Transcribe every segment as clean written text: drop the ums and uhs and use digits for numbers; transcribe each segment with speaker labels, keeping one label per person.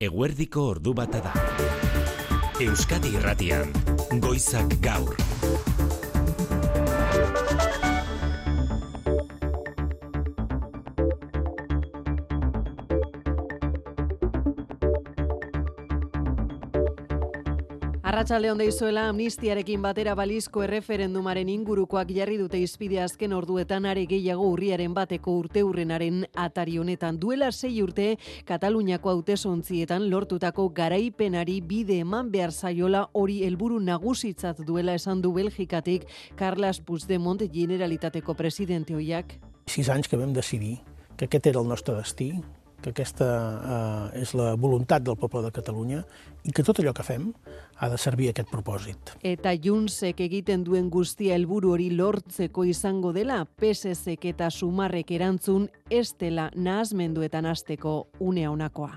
Speaker 1: Eguerdiko ordu bata da. Euskadi Irratian, Goizak Gaur.
Speaker 2: Arratsalde on deizuela, amnistiarekin batera balizko erreferendumaren ingurukoak jarri dute hizpide azken orduetan are gehiago urriaren bateko urteurrenaren atari honetan. Duela 6 urte, Kataluniako hautesontzietan lortutako garaipenari bide eman behar zaiola, hori helburu nagusitzat duela esan du Belgikatik Carles Puigdemont, Generalitateko presidente ohiak.
Speaker 3: 6 anys que vam decidir que aquest era el nostre destí, que aquesta és la voluntat del poble de Catalunya i que tot allò que fem ha de servir a aquest propòsit.
Speaker 2: Eta Juntsek egiten duen guztia helburu hori lortzeko izango dela, PSZek eta Sumarrek erantzun ez dela nahasmenduetan hasteko une honakoa.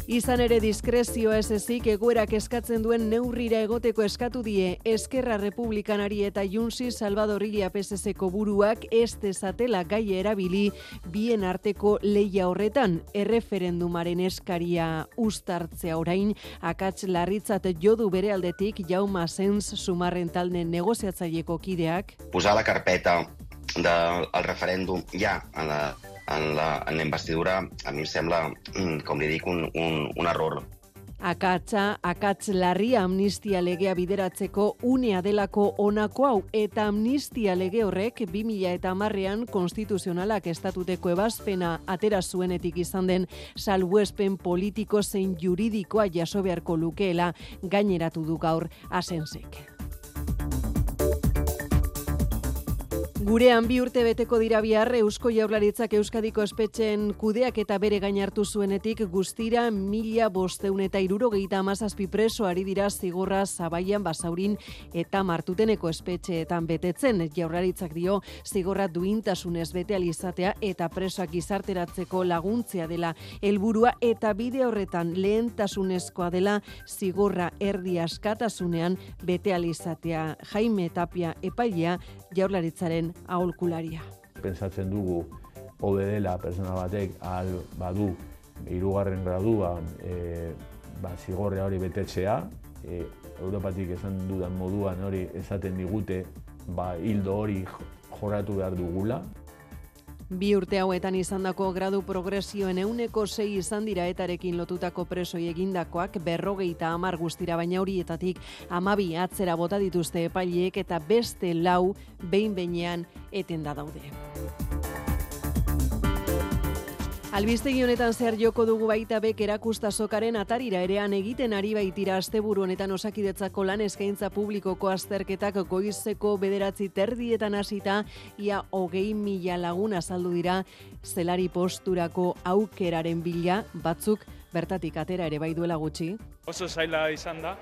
Speaker 2: Izan ere diskrezioa ez ezik egoerak eskatzen duen neurrira egoteko eskatu die Eskerra Republikanari eta Juntsi Salvador Illa PSZko buruak ez dezatela gaia erabili bien arteko lehia horretan. Erreferendumaren eskaria uztartzea orain akats larritzat jodu bere aldetik Jaume Asens Sumarren talde negoziatzaileko kideak.
Speaker 4: Posar la carpeta del referèndum ja en la investidura, a mi em sembla, com li dic, un error.
Speaker 2: Akats larria amnistia legea bideratzeko unea delako honako hau, eta amnistia lege horrek 2010ean konstituzionalak estatuteko ebazpena atera zuenetik izan den salbuespen politiko zein juridikoa jaso beharko lukeela gaineratu du gaur Asensek. Gurean 2 urte beteko dira bihar Eusko Jaurlaritzak Euskadiko espetxeen kudeak eta bere gain hartu zuenetik guztira 1567 preso ari dira zigorra Zabaian, Basaurin eta Martuteneko espetxeetan betetzen. Jaurlaritzak dio zigorra duintasunez bete ahal izatea eta presoak gizarteratzeko laguntzea dela helburua eta bide horretan lehentasunezkoa dela zigorra erdi askatasunean bete ahal izatea. Jaime Tapia epailea Jaurlaritzaren aholkularia.
Speaker 5: Pentsatzen dugu hobe dela pertsona batek ahal badu 3. graduan zigorra hori betetzea, Europatik esan dudan moduan hori esaten digute hildo hori jorratu behar dugula.
Speaker 2: 2 urte hauetan izandako gradu progresioen 6% izan dira etarekin lotutako presoi egindakoak 50 guztira, baina horietatik 12 atzera bota dituzte epaileek eta beste 4 behin-behinean etenda daude. Albistegi honetan zehar joko dugu baita bek erakustazokaren atarira erean egiten ari baitira asteburu honetan Osakidetzako lan eskaintza publikoko azterketak goizeko 9:30 hasita ia 20.000 lagun azaldu dira zelari posturako aukeraren bila, batzuk bertatik atera ere bai duela gutxi.
Speaker 6: Oso zaila izan da.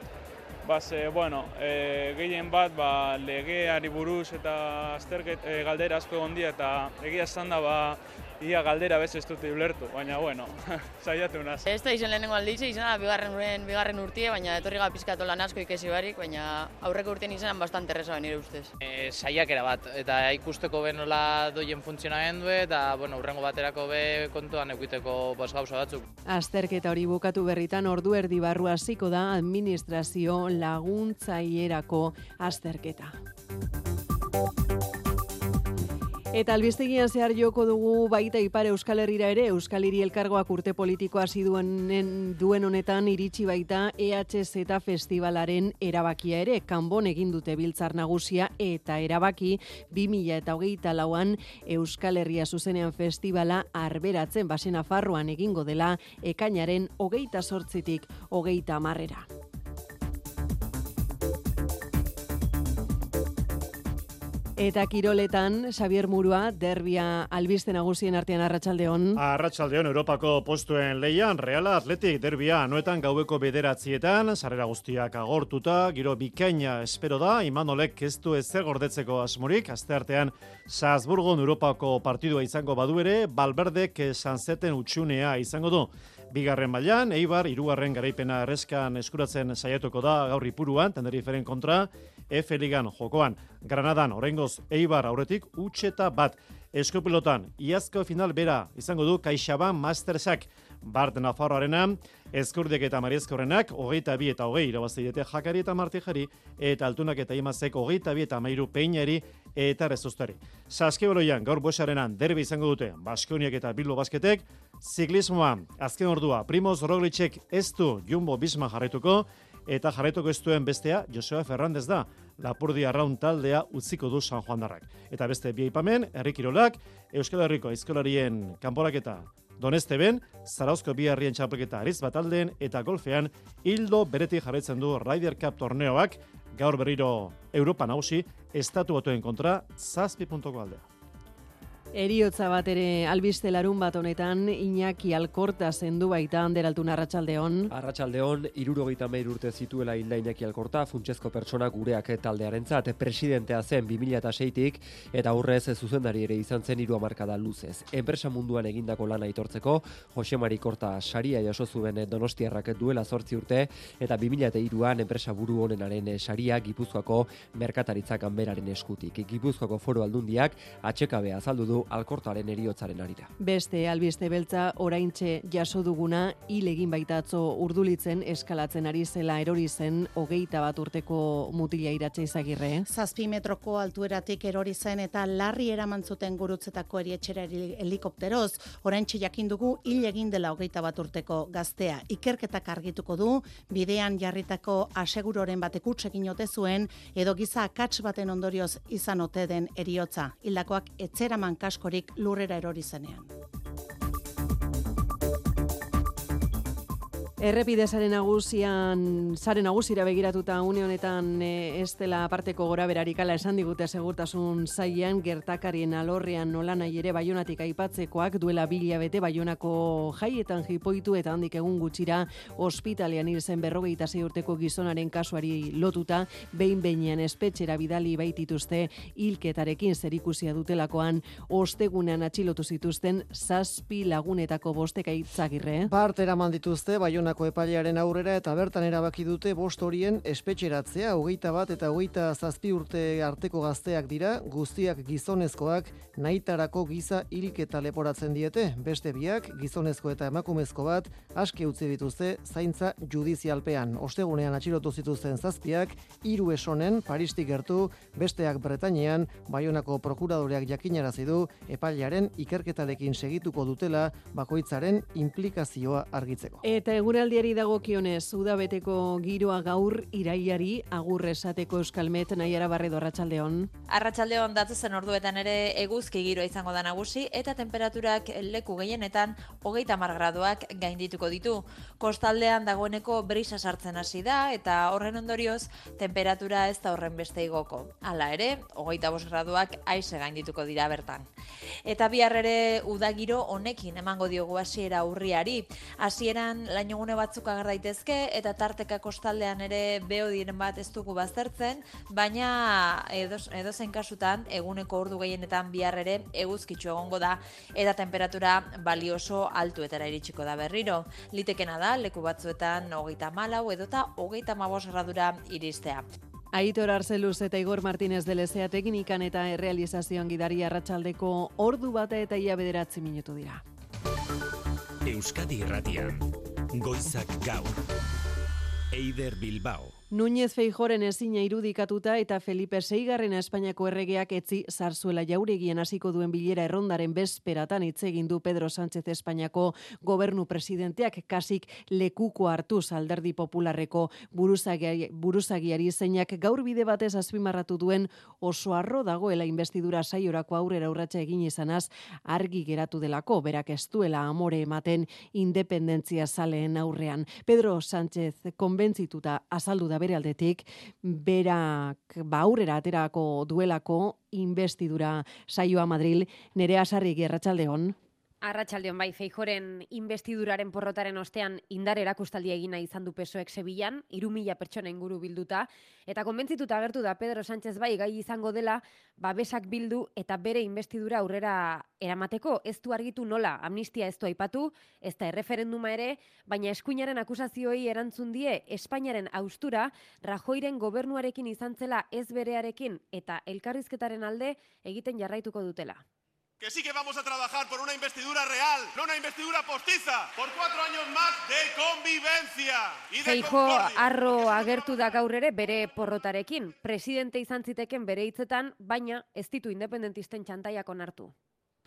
Speaker 6: Gehien bat legeari buruz eta azterket galdera asko egon dira eta egia esan da ia galdera bez ez dute ulertu, baina saiatu naz.
Speaker 7: Ez da izan lehenengo alditze, izan da bigarren urtie, baina etorri pizkatu lan asko ikesi barik, baina aurreko urtean izan bastante erreza nire ustez.
Speaker 8: Saiakera bat, eta ikusteko nola doien funtzionamendu eta urrengo baterako kontuan eukiteko gauza batzuk.
Speaker 2: Azterketa hori bukatu berritan ordu erdi barru hasiko da administrazio laguntzailerako azterketa. Eta albistegian zehar joko dugu baita Ipar Euskal Herrira ere, Euskal Hiri Elkargoak urte politikoa hasi duen honetan iritsi baita EHZ festivalaren erabakia ere. Kanbon egin dute biltzar nagusia eta erabaki 2024an Euskal Herria zuzenean festivala arberatzen Basen Nafarroan egingo dela ekainaren 28tik 30. Eta kiroletan, Xabier Murua, derbia albiste nagusien artean arratsaldeon.
Speaker 9: Arratsaldeon, Europako postuen leian, Real Athletic derbia anoetan gaueko 9:00, sarrera guztiak agortuta, giro bikaina espero da, Imanolek ez du ezer gordetzeko asmorik, asteartean Salzburgon Europako partidua izango badu ere, Valverdek Sanzeten utxunea izango du. Bigarren mailan, Eibar, 3. garaipena erreskan eskuratzen saiatuko da gaur Ipuruan, Tenerifferen kontra, F Ligan jokoan. Granadan oraingoz Eibar aurretik 1-1. Eskupilotan iazko final bera izango du CaixaBank Mastersak. Bart Nafarroarena, Ezkurdiek eta Mariezkorrenak 22 eta 20 irabazi diete Jakari eta Martijari, eta Altunak eta Imazek 22 eta 13 Peinari eta Rezustari. Saskibaloian gaur Buesarenan derbi izango dute Baskoniak eta Bilbo Basketek. Ziklismoa azken ordua Primoz Roglicek ez du Jumbo Visma jarraituko, eta jarraituko ez duen bestea Joseba Fernández da. Lapurdi Arraun taldea utziko du San Juandarrak. Eta beste bi aipamen, herri kirolak, Euskal Herriko aizkolarien kanporaketa Donesteben, Zarauzko bi herrien txapelketa Ariz Bataldeen eta golfean ildo beretik jarraitzen du Ryder Cup torneoak, gaur berriro Europa nagusi, estatu batuen kontra 7 puntoko aldea.
Speaker 2: Eriotza bat ere albiste larun bat honetan Iñaki Alkorta zendu baita Anderaltun arratsaldeon.
Speaker 10: Arratsaldeon 73 urte zituela hilda Iñaki Alkorta, funtsezko pertsona gureak taldearentzat, presidentea zen 2006tik eta aurrez zuzendari ere izan zen 3 hamarkada luzez. Enpresa munduan egindako lana aitortzeko Jose Mari Korta saria jaso zuen Donostiarrak duela 8 urte eta 2003an enpresa buru honenaren saria Gipuzkoako merkataritza ganberaren eskutik. Gipuzkoako Foru Aldundiak atxekabea azaldu du Alkortaren eriotzaren arira.
Speaker 2: Beste albiste beltza oraintxe jaso duguna hil egin baita atzo Urdulitzen eskalatzen ari zela erori zen 21 urteko mutila Iratxe Izagirre.
Speaker 11: 7 metroko altueratik erori zen eta larri eraman zuten Gurutzetako erietxera helikopteroz. Oraintxe jakin dugu hil egin dela 21 urteko gaztea. Ikerketak argituko du bidean jarritako aseguroren batek huts egin ote zuen edo giza akats baten ondorioz izan ote den eriotza. Hildakoak etzeraman kaskorik lurrera erori zenean.
Speaker 2: Errepide sare nagusira begiratuta une honetan ez dela aparteko goraberarik ala esan digute segurtasun sailean, gertakarien alorrean nolanahi ere Baionatik aipatzekoak duela 2 hilabete Baionako jaietan jipoitu eta handik egun gutxira ospitalean hil zen 26 urteko gizonaren kasuari lotuta behin-behinean espetxera bidali baitituzte hilketarekin zerikusia dutelakoan ostegunean atxilotu zituzten 7 lagunetako 5 Izagirre.
Speaker 12: Bart eraman dituzte Baionako epailearen aurrera eta bertan erabaki dute 5 horien espetxeratzea. 21 eta 27 urte arteko gazteak dira, guztiak gizonezkoak, nahitarako giza hilketa leporatzen diete. Beste biak, gizonezko eta emakumezko bat, aske utzi dituzte zaintza judizialpean. Ostegunean atxilotu zituzten 7, 3 esonen, Paristik gertu, besteak Bretainean, Baionako prokuradoreak jakinarazi du epailearen ikerketarekin segituko dutela bakoitzaren implikazioa argitzeko.
Speaker 2: Eta eguraldiari dagokionez, udabeteko giroa gaur irailari agur esateko Euskalmet Naiara Barredo arratsaldeon.
Speaker 13: Arratsaldeon datozen orduetan ere eguzki giroa izango da nagusi eta temperaturak leku gehienetan 30 graduak gaindituko ditu. Kostaldean dagoeneko brisa sartzen hasi da eta horren ondorioz temperatura ez da horren beste igoko. Hala ere, 25 graduak aise gaindituko dira bertan. Eta bihar ere udagiro honekin emango diogu hasiera urriari. Hasieran lainogune batzuk ager daitezke eta tarteka kostaldean ere beodiren bat ez dugu baztertzen, baina edozein kasutan eguneko ordu gehienetan bihar ere eguzkitsu egongo da eta temperatura balioso altuetara iritsiko da berriro. Litekena da leku batzuetan 34 edota 35 gradura iristea.
Speaker 2: Aitor Arzeluz eta Igor Martínez de Lezea teknikan eta errealizazioan gidari arratsaldeko ordu bata eta ia 9 minutu dira.
Speaker 1: Euskadi Irratian, Goizak Gaur, Eider Bilbao.
Speaker 2: Núñez Feijóoren ezina irudikatuta eta Felipe VI Espainiako erregeak etzi Zarzuela Jauregien hasiko duen bilera errondaren bezperatan hitz egin du Pedro Sánchez Espainiako gobernu presidenteak kasik lekuko hartuz Alderdi Popularreko buruzagiari zeinak gaur bide batez azpimarratu duen oso harro dagoela investidura saiorako aurrera urratsa egin izanaz argi geratu delako, berak ez duela amore ematen independentzia zaleen aurrean. Pedro Sánchez konbentzituta azaldu da bere aldetik, berak aurrera aterako duelako investidura saioa Madril. Nerea Sarrigi, arratsaldeon.
Speaker 14: Arratsaldeon bai, Feijóoren investiduraren porrotaren ostean indar erakustaldia egina izan du PSOEk Sevillan, 3.000 pertsona inguru bilduta, eta konbentzituta agertu da Pedro Sánchez bai gai izango dela babesak bildu eta bere investidura aurrera eramateko. Ez du argitu nola, amnistia ez du aipatu, ez da erreferenduma ere, baina eskuinaren akusazioei erantzun die Espainiaren haustura Rajoyren gobernuarekin izan zela ez berearekin eta elkarrizketaren alde egiten jarraituko dutela.
Speaker 15: Que sí que vamos a trabajar por una investidura real, no una investidura postiza, por 4 años más de convivencia y de
Speaker 14: Feijóo
Speaker 15: concordia.
Speaker 14: arro agertu da gaur ere bere porrotarekin. Presidente izan ziteken bere hitzetan, baina ez ditu independentisten txantaiak onartu.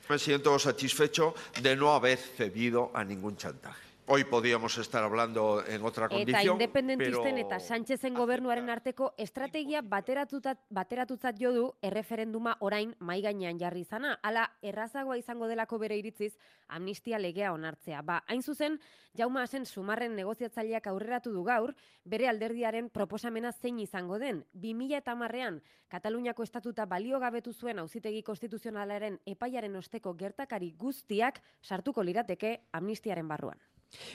Speaker 16: Me siento satisfecho de no haber cedido a ningún chantaje. Hoy podíamos estar hablando en otra condición,
Speaker 14: Eta independentisten eta Sánchezen gobernuaren arteko estrategia bateratutzat jo du erreferenduma orain mai gainean jarri izana. Hala errazagoa izango delako bere iritziz amnistia legea onartzea. Hain zuzen, Jaume Asen Sumarren negoziatzaileak aurreratu du gaur, bere alderdiaren proposamena zein izango den. 2010ean Kataluniako estatuta baliogabetu zuen auzitegi konstituzionalaren epaiaren osteko gertakari guztiak sartuko lirateke amnistiaren barruan.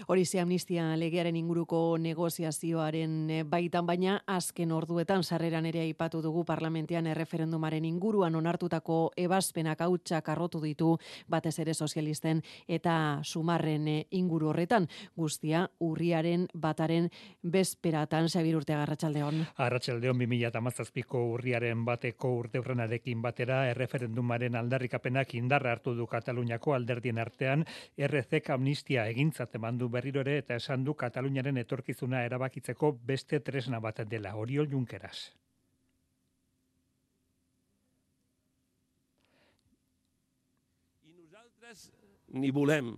Speaker 2: Horize amnistia legearen inguruko negoziazioaren baitan, baina azken orduetan sarreran ere aipatu dugu parlamentean erreferendumaren inguruan onartutako ebazpenak hautsak arrotu ditu batez ere sozialisten eta Sumarren inguru horretan. Guztia urriaren bataren bezperatan. Xabir Urteaga, arratsaldeon.
Speaker 17: Arratsaldeon 2017ko urriaren bateko urteurrenarekin batera erreferendumaren aldarrikapenak indarra hartu du Kataluniako alderdien artean. RCek amnistia egintzat mandu berriro ere eta esan du Kataluniaren etorkizuna erabakitzeko beste tresna bat dela. Oriol Junqueras.
Speaker 18: I nosaltres ni volem,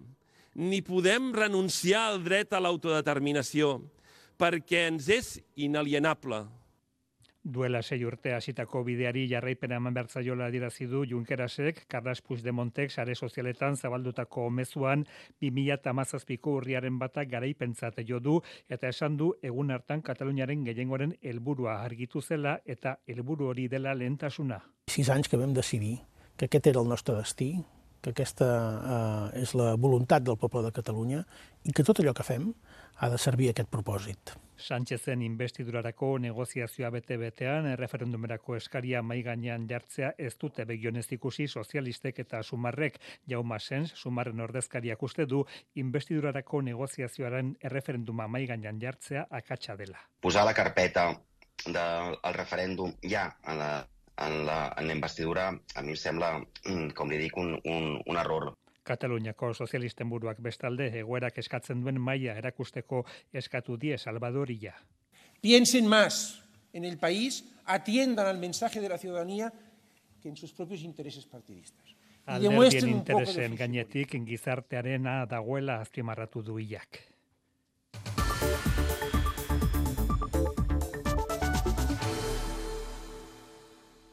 Speaker 18: ni podem renunciar al dret a l'autodeterminació, perquè ens és inalienable.
Speaker 17: Duela 6 urte hasitako bideari jarraipena eman behar zaiola adierazi du Junquerasek, Carles Puigdemontek sare sozialetan zabaldutako mezuan 2017ko urriaren batak garaipentzat jo du eta esan du egun hartan Kataluniaren gehiengoaren helburua argitu zela eta helburu hori dela lehentasuna.
Speaker 3: 6 anys que vam decidir que aquest era el nostre destí, que aquesta és la voluntat del poble de Catalunya i que tot allò que fem ha de servir a aquest propòsit.
Speaker 17: Sánchezen investidurarako negoziazioa bete-betean, erreferendumerako eskaria mai gainean jartzea ez dute begionez ikusi sozialistek eta Sumarrek. Jaume Asens, Sumarren ordezkariak uste du investidurarako negoziazioaren erreferenduma mai gainean jartzea akatsa dela.
Speaker 4: Posar la carpeta del referèndum ja en la investidura a mi em sembla, com li dic, un error.
Speaker 17: Kataluniako sozialisten buruak bestalde egoerak eskatzen duen maila erakusteko eskatu die Salvador Illa.
Speaker 19: Piensen más en el país, atiendan al mensaje de la ciudadanía que en sus propios intereses partidistas.
Speaker 17: Alderdien interesen gainetik gizartearena dagoela azpimarratu du Illak.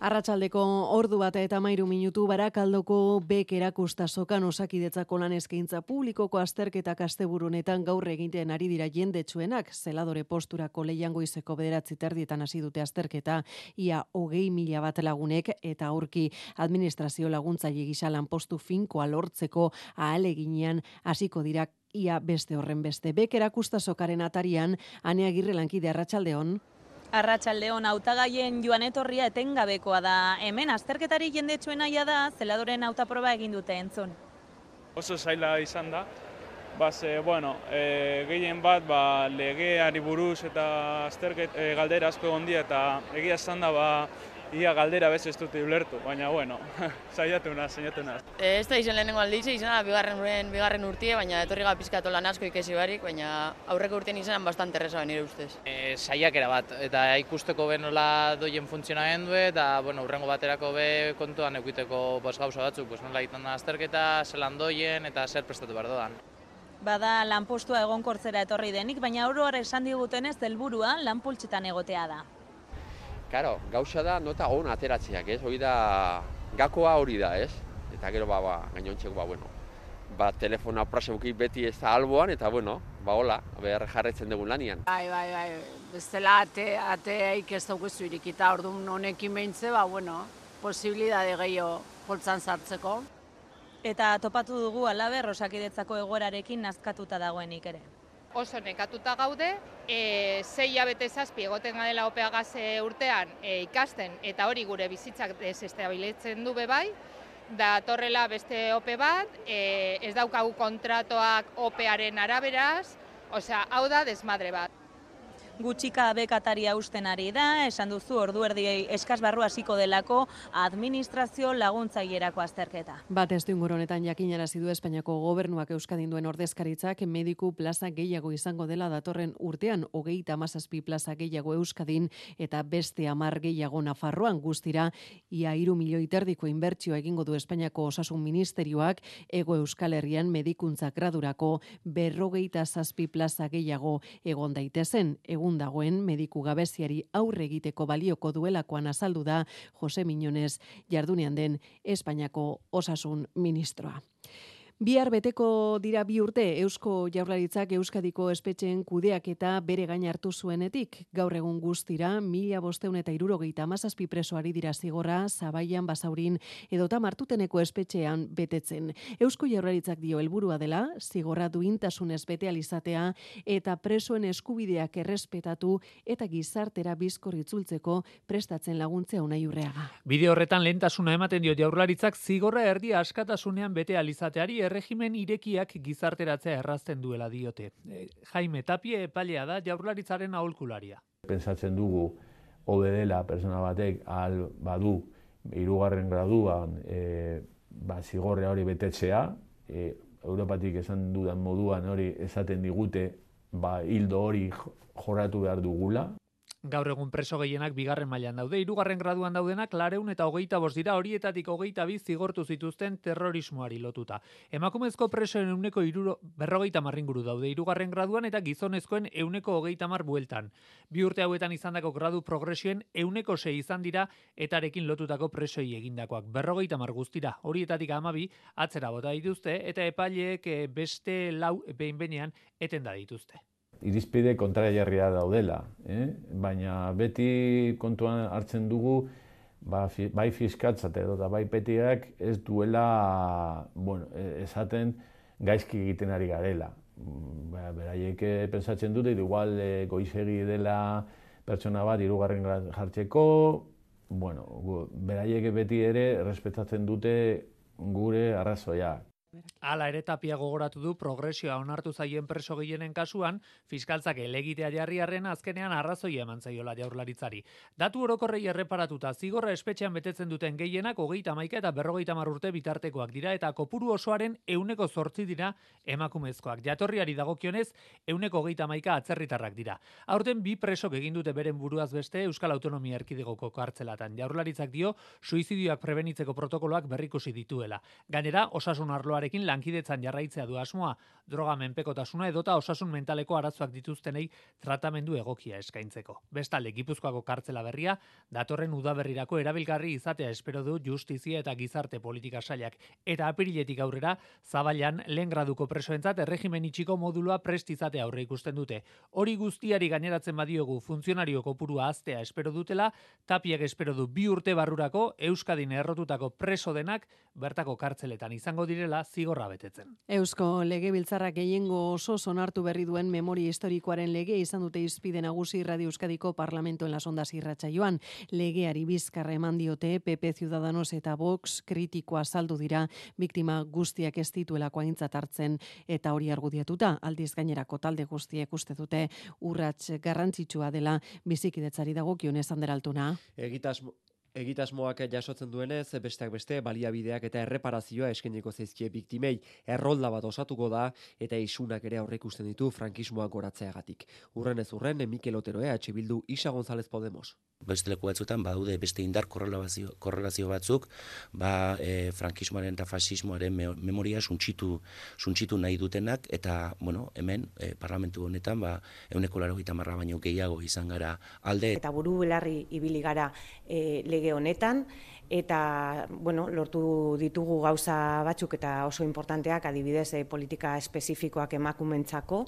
Speaker 2: Arratsaldeko ordu bat eta 13 minutu Barakaldoko bek erakustasokan Osakidetzako lan eskaintza publikoko azterketak asteburu honetan gaur egiten ari dira jendetsuenak. Zeladore posturako Leian goizeko 9:30 hasi dute azterketa, ia 20.000 bat lagunek eta aurki administrazio laguntzaile gisa lanpostu finkoa lortzeko ahaleginean hasiko dira ia beste horren beste. Bek erakustasokaren atarian Ane Agirre lankide, arratsaldeon.
Speaker 20: Arratsaldeon, hautagaien joan etorria etengabekoa da. Hemen azterketari jendetsuena da, zeladoren hautaproba egin dute entzun.
Speaker 6: Oso zaila izan da. Gehien bat legeari buruz eta galdera asko egon eta egia esan da ia galdera bez ez dute ulertu, baina saiatu naz.
Speaker 7: Ez da izan lehenengo aldiz, izan bigarren urtie, baina etorri pizkatu lan asko ikesi barik, baina aurreko urtean izan bastante erresa nire ustez.
Speaker 8: Saiakera bat, eta ikusteko nola doien funtzionamendu eta urrengo baterako kontuan eukiteko gauza batzuk, nola egiten da azterketa, zelan doien eta zer prestatu behar doan.
Speaker 20: Bada lanpostua egonkortzera etorri denik, baina oroar esan digutenez helburua lanpultzetan egotea da.
Speaker 21: Karo, gauza da nota on ateratzeak, ez? Hori da, gakoa hori da, ez? Eta gero, gainontzeko, telefona praseuki beti ez da alboan, eta hola, jarretzen dugun lanian.
Speaker 22: Bai, bestela ateaik ez daukezu irikita, orduan honekin behintze, posibilidade gehiago poltzan sartzeko.
Speaker 20: eta topatu dugu halaber Osakidetzako egoerarekin nazkatuta dagoenik ere.
Speaker 5: Oso nekatuta gaude, 6 hilabete 7 egoten gadela OPEA gaze urtean ikasten, eta hori gure bizitzak desestabilitzen du bebai, da torrela beste OPE bat, ez daukagu kontratoak OPEaren araberaz, osea, hau da desmadre bat.
Speaker 20: Gutxika bekataria usten ari da, esan duzu ordu erdi eskas barru hasiko delako administrazio laguntzailerako azterketa.
Speaker 2: Bat ez du honetan jakinarazi du Espainiako gobernuak Euskadin duen ordezkaritzak mediku plaza gehiago izango dela datorren urtean, 37 plaza gehiago Euskadin eta beste 10 gehiago Nafarroan, guztira ia 3 milioi erdiko inbertsioa egingo du Espainiako Osasun Ministerioak Hego Euskal Herrian medikuntza gradurako 57 plaza gehiago egon daitezen. Egun dagoen mediku gabeziari aurre egiteko balioko duelakoan azaldu da Jose Miñones, jardunean den Espainiako Osasun Ministroa. Bihar beteko dira 2 urte Eusko Jaurlaritzak Euskadiko espetxeen kudeaketa bere gain hartu zuenetik. Gaur egun guztira 1577 presoari dira zigorra Zabaian, Basaurin edota Martuteneko espetxean betetzen. Eusko Jaurlaritzak dio helburua dela zigorra duintasunez bete alizatea eta presoen eskubideak errespetatu eta gizartera bizkor itzultzeko prestatzen laguntzea Unai Urreaga.
Speaker 9: Bide horretan lehentasuna ematen dio Jaurlaritzak zigorra erdia askatasunean bete alizateari erregimen irekiak gizarteratzea errazten duela diote. Jaime Tapie epailea da Jaurlaritzaren aholkularia.
Speaker 23: Pentsatzen dugu hobe dela pertsona batek ahal badu 3. graduan zigorra hori betetzea, Europatik esan dudan moduan hori esaten digute hildo hori jorratu behar dugula.
Speaker 9: Gaur egun preso gehienak 2. mailan daude, 3. graduan daudenak 425 dira, horietatik 22 zigortu zituzten terrorismoari lotuta. Emakumezko presoen 50 inguru daude 3. graduan eta gizonezkoen 130 bueltan. 2 urte hauetan izandako gradu progresioen 106 izan dira etarekin lotutako presoi egindakoak. 50 guztira, horietatik 12 atzera bota dituzte eta epaileek beste 4 behin-behinean etenda dituzte.
Speaker 23: Irizpide kontrajarria daudela, baina beti kontuan hartzen dugu bai fiskaltzat edo bai petiak ez duela esaten gaizki egiten ari garela. Beraiek pensatzen dute, igual goizegi dela pertsona bat 3. grad jartzeko, beraiek beti ere errespetatzen dute gure arrazoia.
Speaker 9: Hala ere Tapia gogoratu du progresioa onartu zaien preso gehienen kasuan, fiskaltzak helegitea jarri arren azkenean arrazoia eman zaiola Jaurlaritzari. Datu orokorrei erreparatuta zigorra espetxean betetzen duten gehienak 31 eta 50 urte bitartekoak dira eta kopuru osoaren 108 dira emakumezkoak. Jatorriari dagokionez 131 atzerritarrak dira. Aurten 2 presok egin dute beren buruaz beste Euskal Autonomia Erkidegoko kartzelatan. Jaurlaritzak dio suizidioak prebenitzeko protokoloak berrikusi dituela. Gainera, osasun arloarekin lankidetzan jarraitzea du asmoa, droga menpekotasuna edota osasun mentaleko arazoak dituztenei tratamendu egokia eskaintzeko. Bestalde, Gipuzkoako kartzela berria datorren udaberrirako erabilgarri izatea espero du Justizia eta Gizarte Politika Sailak eta apiriletik aurrera Zabaian lehen graduko presoentzat erregimen itxiko modulua prest izatea aurre ikusten dute. Hori guztiari gaineratzen badiogu funtzionario kopurua haztea espero dutela, Tapiak espero du 2 urte barrurako Euskadin errotutako preso denak bertako kartzeletan izango direla zigorra betetzen.
Speaker 2: Eusko Legebiltzarrak gehiengo oso onartu berri duen memoria historikoaren lege izan dute hizpide nagusi Radio Euskadiko Parlamento en las Ondas irratsaioan. Legeari bizkarra eman diote PP, Ciudadanos eta Vox kritikoa azaldu dira biktima guztiak ez dituelako aintzat hartzen eta hori argudiatuta aldiz gainerako talde guztiek uste dute urrats garrantzitsua dela bizikidetzari dagokionez Ander Altuna.
Speaker 10: Egitasmoak jasotzen duenez, besteak beste, baliabideak eta erreparazioa eskainiko zaizkie biktimei. Errolda bat osatuko da eta isunak ere aurreikusten ditu frankismoa goratzeagatik. Urrenez urren, Mikel Otero EH Bildu, Isa González Podemos.
Speaker 24: Beste leku batzuetan badaude beste indar korrelazio batzuk, frankismoaren eta fasismoaren memoria suntsitu nahi dutenak, eta hemen, parlamentu honetan, 180 baino gehiago izan gara alde.
Speaker 25: Eta buru belarri ibili gara lege honetan, eta lortu ditugu gauza batzuk eta oso importanteak, adibidez politika espezifikoak emakumentzako,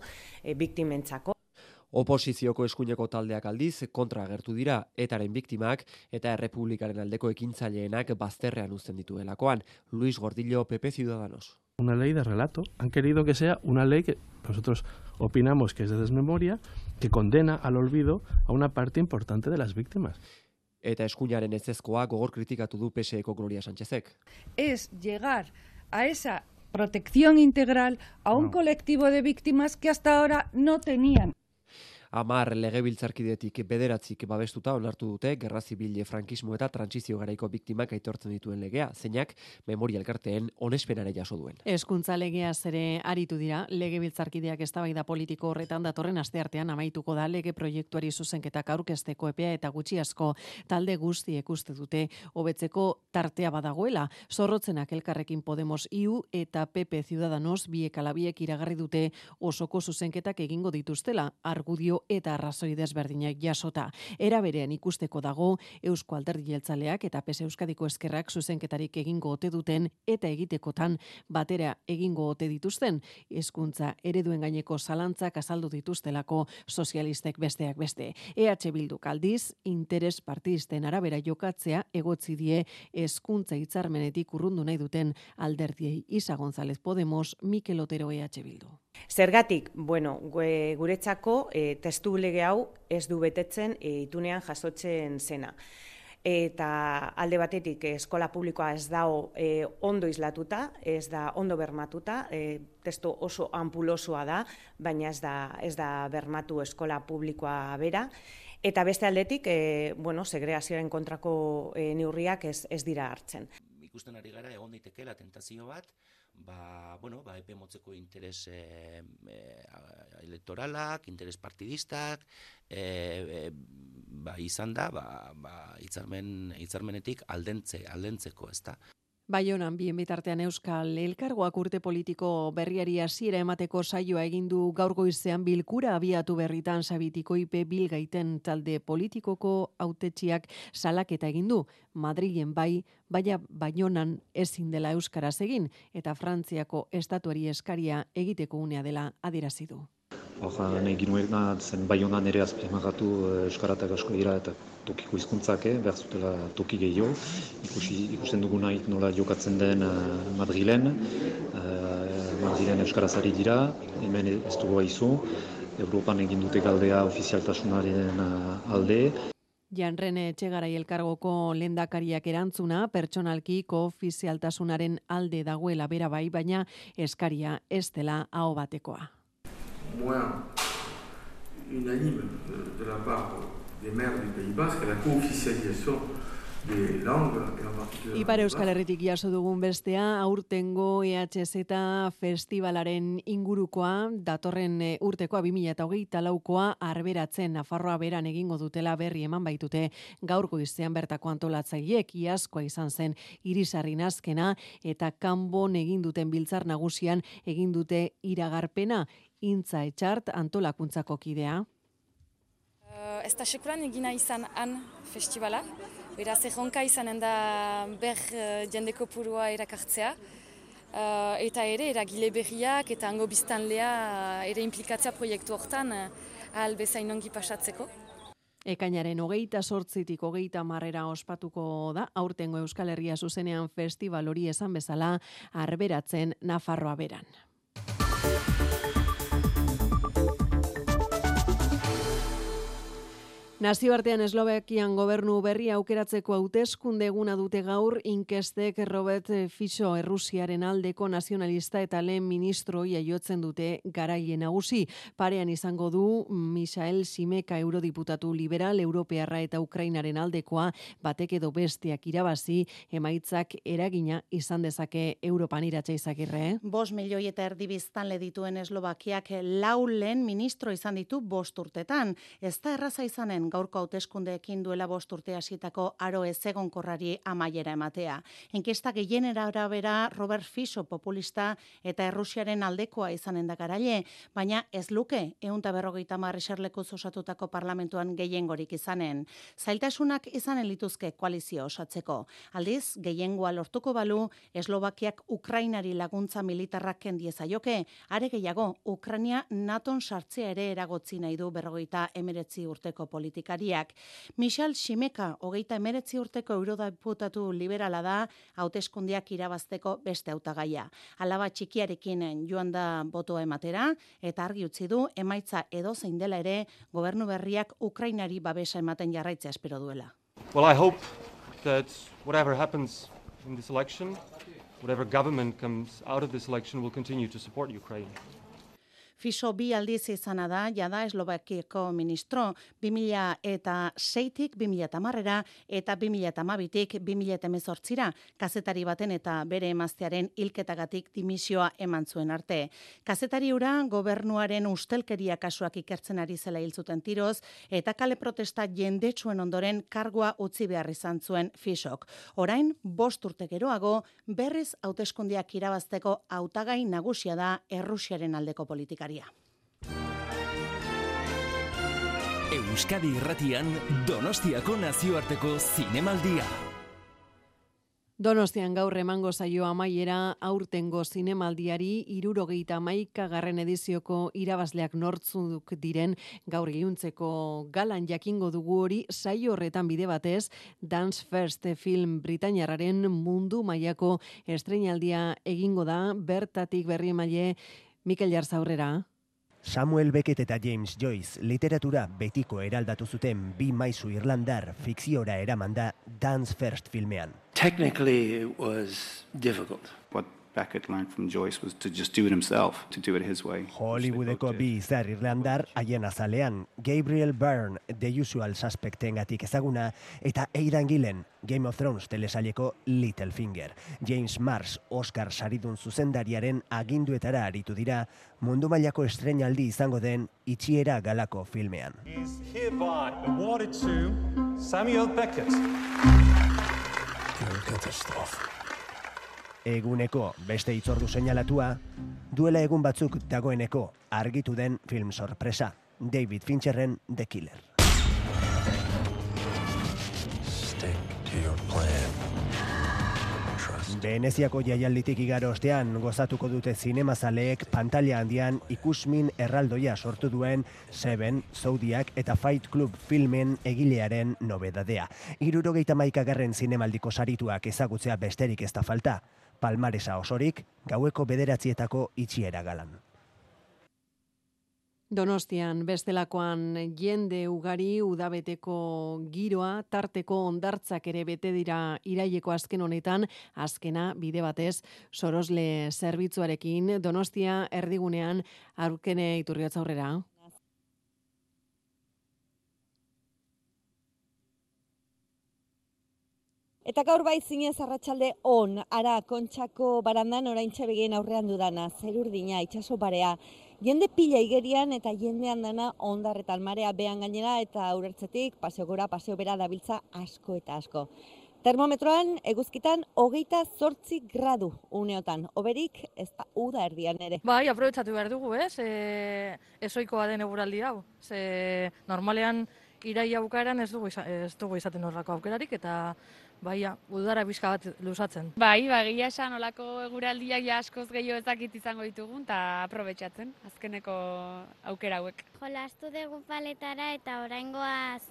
Speaker 25: biktimentzako.
Speaker 10: Oposizioko eskuineko taldeak aldiz kontra agertu dira etaren biktimak eta Errepublikaren aldeko ekintzaileak bazterrean uzten dituelakoan. Luis Gordillo, PP Ciudadanos.
Speaker 1: Una ley de relato. Han querido que sea una ley que nosotros opinamos que es de desmemoria, que condena al olvido a una parte importante de las víctimas.
Speaker 10: Eta eskuinaren ezezkoa gogor kritikatu du PSeko Gloria Sánchezek.
Speaker 11: Es llegar a esa protección integral a un colectivo de víctimas que hasta ahora no tenían.
Speaker 10: 10 legebiltzarkidetik 9 babestuta onartu dute gerra zibil, frankismo eta trantsizio garaiko biktimak aitortzen dituen legea, zeinak memoria elkarteen onespenare jaso duen.
Speaker 2: Hezkuntza legeaz ere aritu dira, legebiltzarkideak eztabaida politiko horretan datorren asteartean amaituko da lege proiektuari zuzenketak aurkezteko epea eta gutxi asko talde guztiek uste dute hobetzeko tartea badagoela. Zorrotzenak Elkarrekin Podemos IU eta PP Ciudadanos biek ala biek iragarri dute osoko zuzenketak egingo dituztela, argudio eta arrazoi desberdinak jasota. Era berean ikusteko dago Eusko Alderdi Jeltzaleak eta PS Euskadiko Ezkerrak zuzenketarik egingo ote duten eta egitekotan batera egingo ote dituzten. Hezkuntza ereduen gaineko zalantzak azaldu dituztelako sozialistek besteak beste. EH Bilduk aldiz interes partidisten arabera jokatzea egotzi die hezkuntza hitzarmenetik urrundu nahi duten alderdiei. Isa González Podemos, Mikel Otero EH Bildu.
Speaker 25: Zergatik, bueno, guretzako testu lege hau ez du betetzen itunean jasotzen zena. Eta alde batetik eskola publikoa ez dago ondo islatuta, ez da ondo bermatuta, testu oso ampulosoa da, baina ez da bermatu eskola publikoa bera. Eta beste aldetik, segregazioaren kontrako neurriak ez dira hartzen.
Speaker 24: Ikusten ari gara egon daitekeela tentazio bat, epe motzeko interes elektoralak, interes partidistak, izan da, hitzarmenetik aldentzeko, ez da.
Speaker 2: Baionan, bien bitartean Euskal Elkargoak urte politiko berriari hasiera emateko saioa egin du gaur goizean bilkura abiatu berritan Sabitiko IP Bilgaiten talde politikoko hautetsiak salaketa egin du. Madrilen baina Baionan ezin dela euskaraz egin eta Frantziako estatuari eskaria egiteko unea dela adierazi du.
Speaker 12: Nahi ginuena zen Baionan ere azpimarratu euskaratak asko dira eta tokiko hizkuntzak behar zutela toki gehiago. Ikusten duguna nola jokatzen den Madrilen. Madrilen euskaraz ari dira, hemen ez dugu aizu. Europan egin dute galdea ofizialtasunaren alde.
Speaker 2: Jan Rene Etxegarai Elkargoko lehendakariak erantzuna, pertsonalki koofizialtasunaren alde dagoela bera bai, baina eskaria ez dela aho batekoa.
Speaker 13: Unanime de la part des maires du Pays Basque la co-officialisation des langues et en particulier
Speaker 2: Ipar Euskal Herritik jaso dugun bestea, aurtengo EHZ festivalaren ingurukoa, datorren urtekoa 2024koa arberatzen Nafarroa beran egingo dutela berri eman baitute gaur goizean bertako antolatzaileek. Iazkoa izan zen Irisarrin azkena eta kanbon egin duten biltzar nagusian egin dute iragarpena. Intza Etxart antolakuntzako kidea.
Speaker 15: Ez da sekulan egina izan han festivala. Beraz, erronka izanen da jende kopurua erakartzea. Eta ere, eragile berriak eta hango biztanlea ere implikatzea proiektu hortan ahal bezain ongi pasatzeko.
Speaker 2: Ekainaren 28tik 30 ospatuko da, aurtengo Euskal Herria zuzenean festival hori esan bezala arberatzen Nafarroa beran. Nazioartean Eslovakian gobernu berri aukeratzeko hauteskunde eguna dute gaur, inkestek Robert Fico Errusiaren aldeko nazionalista eta lehen ministro jaiotzen dute garaile nagusi. Parean izango du Michael Simeka eurodiputatu liberal, europearra eta Ukrainaren aldekoa, batek edo besteak irabazi, emaitzak eragina izan dezake Europan Iratxe Izagirre.
Speaker 26: 5 milioi eta erdi biztanle dituen Eslovakiak 4 lehen ministro izan ditu 5 urtetan. Ez da erraza izanen zen gaurko hauteskundeekin duela 5 urte hasitako aro ezegonkorrari amaiera ematea. Inkesta gehienera arabera Robert Fico populista eta Errusiaren aldekoa izanen da garaile, baina ez luke 150 eserlekuz osatutako parlamentuan gehiengorik izanen. Zailtasunak izanen lituzke koalizio osatzeko. Aldiz, gehiengoa lortuko balu, Eslovakiak Ukrainari laguntza militarrak kendiezaioke, are gehiago, Ukraina NATOn sartzea ere eragotzi nahi du 59 urteko politikariak. Michal Ximeka, 39 urteko eurodeputatu liberala da, hauteskundeak irabazteko beste hautagaia. Alaba txikiarekin joan da botoa ematera, eta argi utzi du emaitza edozein dela ere, gobernu berriak Ukrainari babesa ematen jarraitzea espero duela.
Speaker 3: Well, I hope that whatever happens in this election, whatever government comes out of this election will continue to support Ukraine.
Speaker 26: Fico 2 aldiz izana da, jada Eslovakiako ministro 2006tik 2010era eta 2012tik 2018ra, kazetari baten eta bere emaztearen hilketagatik dimisioa eman zuen arte. Kazetari hura gobernuaren ustelkeria kasuak ikertzen ari zela hil zuten tiroz eta kale protesta jendetsuen ondoren kargua utzi behar izan zuen Ficok. Orain 5 urte geroago berriz hauteskundeak irabazteko hautagai nagusia da Errusiaren aldeko politika.
Speaker 4: Euskadi Irratian Donostiako nazioarteko zinemaldia.
Speaker 2: Donostian gaur emango zaio amaiera aurtengo zinemaldiari 71. Edizioko irabazleak nortzuk diren gaur iluntzeko galan jakingo dugu hori saio horretan bide batez Dance First film britainiarraren mundu mailako estreinaldia egingo da bertatik berri emaile Mikel Jarzaurrera.
Speaker 14: Samuel Beckett eta James Joyce literatura betiko eraldatu zuten 2 maisu irlandar fikziora eramanda Dance First filmean.
Speaker 16: Technically it was difficult. What Beckett learned from Joyce was to just do it himself, to do it his way.
Speaker 14: Hollywoodeko 2 izar irlandar haien azalean, Gabriel Byrne, The Usual Suspectengatik ezaguna, eta Aidan Gillen, Game of Thrones telesaileko Littlefinger. James Marsh, Oscar saridun zuzendariaren aginduetara aritu dira, mundu mailako estreinaldi izango den Itxiera galako filmean.
Speaker 18: Is hereby awarded to Samuel Beckett.
Speaker 14: Eguneko beste hitzordu seinalatua, duela egun batzuk dagoeneko argitu den film sorpresa, David Fincherren The Killer.
Speaker 19: Stick to your plan.
Speaker 14: Veneziako jaialditik igaro ostean gozatuko dute zinemazaleek pantalla handian ikusmin erraldoia sortu duen Seven, Zodiac eta Fight Club filmen egilearen nobedadea. 71. zinemaldiko sarituak ezagutzea besterik ez da falta. Palmaresa osorik, gaueko 9etako Itxiera galan.
Speaker 2: Donostian bestelakoan jende ugari udabeteko giroa, tarteko hondartzak ere bete dira iraileko azken honetan, azkena bide batez sorosle zerbitzuarekin Donostia erdigunean Aurkene Iturriotza aurrera.
Speaker 27: Eta gaur bai zinez arratsalde on, ara Kontxako barandan oraintxe begien aurrean dudana, zerurdina, itsaso barea. Jende pila igerian eta jendean dana ondarretan marea behan gainera eta urertzetik paseo gora, paseo bera dabiltza asko eta asko. Termometroan, eguzkitan, 28 gradu uneotan. Oberik, ez da uda erdian ere.
Speaker 28: Bai, aprobetsatu behar dugu, ez? Ezoikoa den eguraldi hau. Normalean, iraia bukaeran ez dugu izaten horrako aukerarik eta baia, udara bizka bat luzatzen.
Speaker 29: Bai, gila esan olako eguraldiak ja askoz gehiago ezakit izango ditugun eta aprobetsatzen azkeneko aukera hauek.
Speaker 30: Jolastu dugu paletara eta oraingoaz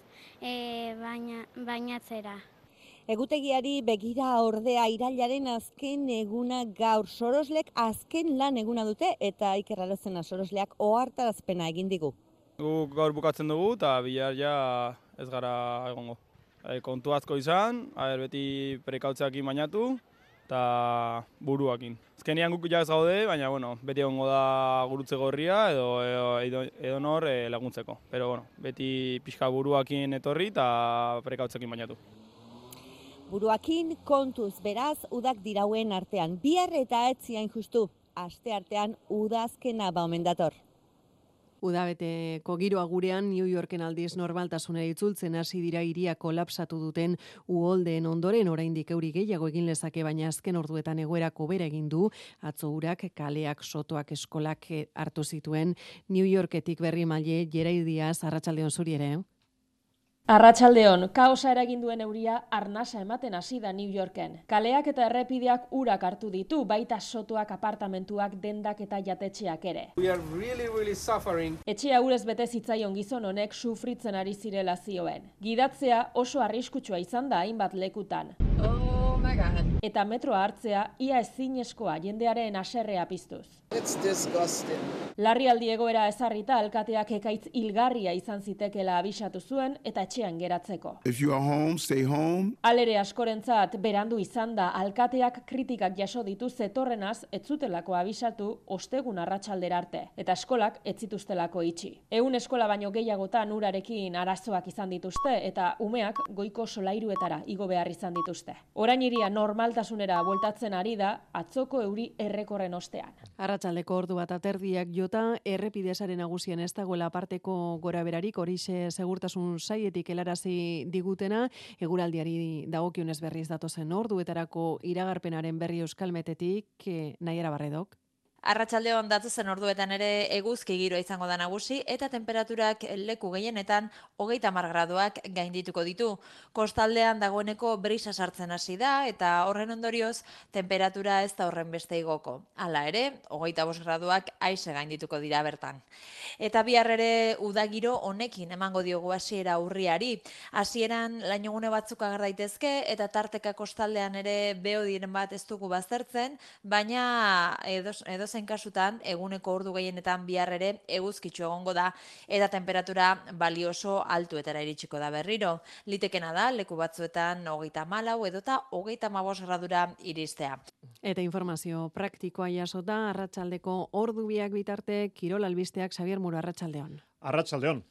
Speaker 30: bainatzera.
Speaker 27: Egutegiari begira ordea irailaren azken eguna gaur soroslek azken lan eguna dute eta Iker Arozena sorosleak ohartarazpena egin digu.
Speaker 6: Guk gaur bukatzen dugu eta bihar ja ez gara egongo. Kontu asko izan, beti prekautzeakin bainatu eta buruakin. Azkenean guk ja ez gaude, baina beti egongo da gurutze gorria edo nor laguntzeko. Pero beti pixka buruakin etorri eta prekautzeakin bainatu.
Speaker 27: Buruakin kontuz, beraz, udak dirauen artean. Bihar eta etziain justu, aste artean udazkena omen dator.
Speaker 2: Udabeteko giroa gurean New Yorken aldiz normaltasunera itzultzen hasi dira hiria kolapsatu duten uholdeen ondoren, oraindik euri gehiago egin lezake, baina azken orduetan egoerako bera egin du. Atzo urak, kaleak, sotoak, eskolak hartu zituen. New Yorketik Berri Maile, Jerai Diaz, arratsaldeon zuri ere.
Speaker 1: Arratsaldeon, kaosa eragin duen euria arnasa ematen hasi da New Yorken. Kaleak eta errepideak urak hartu ditu, baita sotoak, apartamentuak, dendak eta jatetxeak ere. Etxea urez bete zitzaion gizon honek sufritzen ari zirela zioen. Gidatzea oso arriskutsua izan da hainbat lekutan. Eta metroa hartzea ia ezinezkoa, jendearen haserrea piztuz. Larrialdi egoera ezarrita alkateak ekaitz hilgarria izan zitekeela abisatu zuen eta etxean geratzeko. Alere askorentzat berandu izan da, alkateak kritikak jaso ditu zetorrenaz ez zutelako abisatu ostegun arratsaldera arte, eta eskolak ez zituztelako itxi. 100 eskola baino gehiagotan urarekin arazoak izan dituzte eta umeak goiko solairuetara igo behar izan dituzte. Orain hiria normaltasunera bueltatzen ari da atzoko euri errekorren ostean.
Speaker 2: Arratsaldeko ordu bat aterdiak jota, errepidesaren nagusien ez dagoela aparteko goraberarik, horixe segurtasun sailetik helarazi digutena, eguraldiari dagokionez berriz datozen orduetarako iragarpenaren berri Euskalmetetik, Naiara Barredok.
Speaker 5: Arratsaldeon datozen orduetan ere eguzki giroa izango da nagusi eta temperaturak leku gehienetan 30 graduak gaindituko ditu. Kostaldean dagoeneko brisa sartzen hasi da eta horren ondorioz temperatura ez da horren beste igoko. Hala ere, 25 graduak aise gaindituko dira bertan. Eta bihar ere udagiro honekin emango diogu hasiera urriari. Hasieran lainogune batzuk ager daitezke eta tarteka kostaldean ere beodiren bat ez dugu baztertzen, baina edozein kasutan eguneko ordu gehienetan bihar ere eguzkitsu egongo da eta temperatura balioso altuetara iritsiko da berriro. Litekena da leku batzuetan 34 edota 35 gradura iristea.
Speaker 2: Eta informazio praktikoa jasota, arratsaldeko ordu biak bitarte, kirol albisteak Xabier Muro, arratsaldeon.
Speaker 7: Arratsaldeon.